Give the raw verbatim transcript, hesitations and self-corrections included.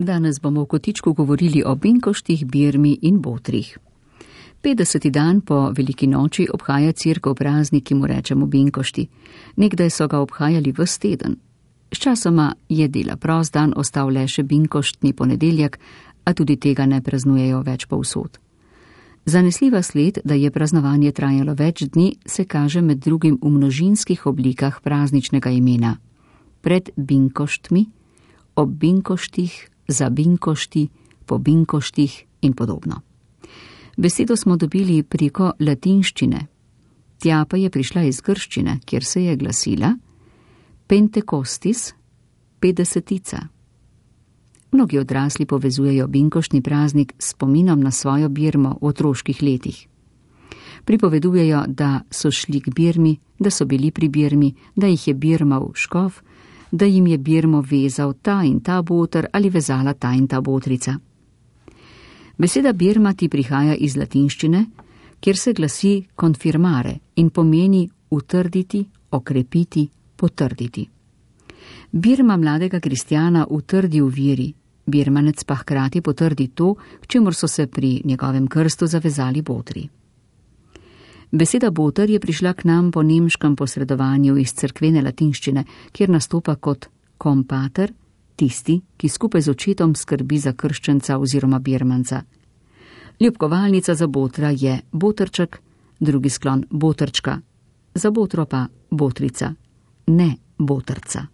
Danes bomo v kotičku govorili o binkoštih, birmi in botrih. petdeseti dan po veliki noči obhaja cerkev praznik, ki mu rečemo binkošti. Nekdaj so ga obhajali ves teden. Sčasoma je dela prost dan ostal le še binkoštni ponedeljek, a tudi tega ne praznujejo več povsod. Zanesljiva sled, da je praznovanje trajalo več dni, se kaže med drugim v množinskih oblikah prazničnega imena. Pred binkoštmi, ob binkoštih, za binkošti, po binkoštih in podobno. Besedo smo dobili preko latinščine. Tja pa je prišla iz grščine, kjer se je glasila Pentekostis, petdesetica. Mnogi odrasli povezujejo binkoštni praznik s spominom na svojo birmo v otroških letih. Pripovedujejo, da so šli k birmi, da so bili pri birmi, da jih je birmal škof, da jim je birmo vezal ta in ta boter ali vezala ta in ta botrica. Beseda birma ti prihaja iz latinščine, kjer se glasi konfirmare in pomeni utrditi, okrepiti, potrditi. Birma mladega kristjana utrdi v veri, birmanec pa hkrati potrdi to, k čemur so se pri njegovem krstu zavezali botri. Beseda boter je prišla k nam po nemškem posredovanju iz cerkvene latinščine, kjer nastopa kot kompater, tisti, ki skupaj z očetom skrbi za krščenca oziroma birmanca. Ljubkovalnica za botra je botrček, drugi sklon botrčka, za botro pa botrica, ne botrca.